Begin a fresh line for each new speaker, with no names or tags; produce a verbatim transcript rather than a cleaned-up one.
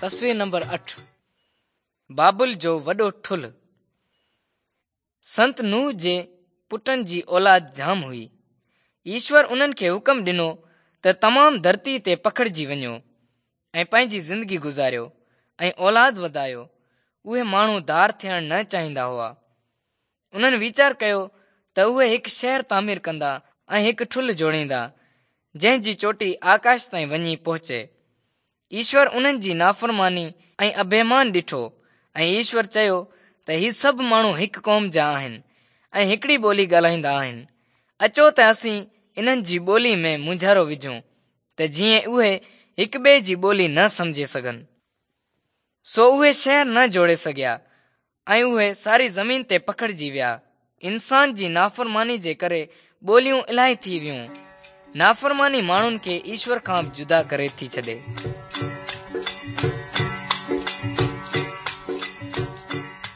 تصوير نمبر اٺ، بابل جو وڏو ٺلهه. سنت نوح جي پٽن جي اولاد جام هئي. ايشور انهن کي حڪم ڏنو ته تمام ڌرتي تي پکڙجي وڃو ۽ پنهنجي زندگي گذاريو ۽ اولاد وڌايو. اهي ماڻهو ڌار ٿيڻ نه چاهيندا هئا. انهن ويچار ڪيو ته اهي هڪ شهر تعمير ڪندا ۽ هڪ ٺلهه جوڙيندا، جنهن جي چوٽي آڪاش تائين وڃي پهچي. ايشور انهن جي نافرماني ۽ اڀيمان ڏٺو ۽ ايشور چيو ته هي سڀ ماڻهو هڪ قوم جا آهن ۽ هڪڙي ٻولي ڳالهائيندا آهن. اچو ته اسين انهن جي ٻولي ۾ مونجهارو وجهون ته جيئن اهي هڪ ٻئي جي ٻولي نه سمجهي سگهن. سو اهي شهر نه جوڙي سگهيا ۽ اهي ساري زمين تي پکڙجي ويا. انسان جي نافرماني جي ڪري ٻوليون الاهي ٿي ويون. نافرماني ماڻهن کي ايشور کان به جدا ڪري ٿي ڇڏي.